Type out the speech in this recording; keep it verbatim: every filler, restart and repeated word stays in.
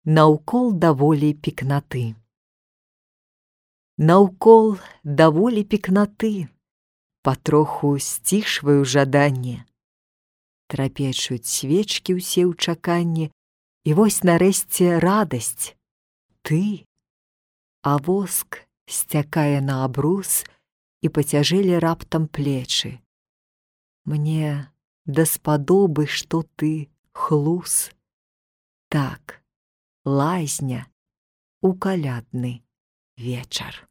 Наўкол даволі пекнаты. Наўкол даволі пекнаты, патроху сцішваю жаданне. Трапечуць свечкі ўсе ў чаканні, і вось нарэшце радасць. Ты, а воск сцякае на абрус, і пацяжэлі раптам плечы. Мне даспадобы, што ты хлус. Так, лазня у калядны вечар.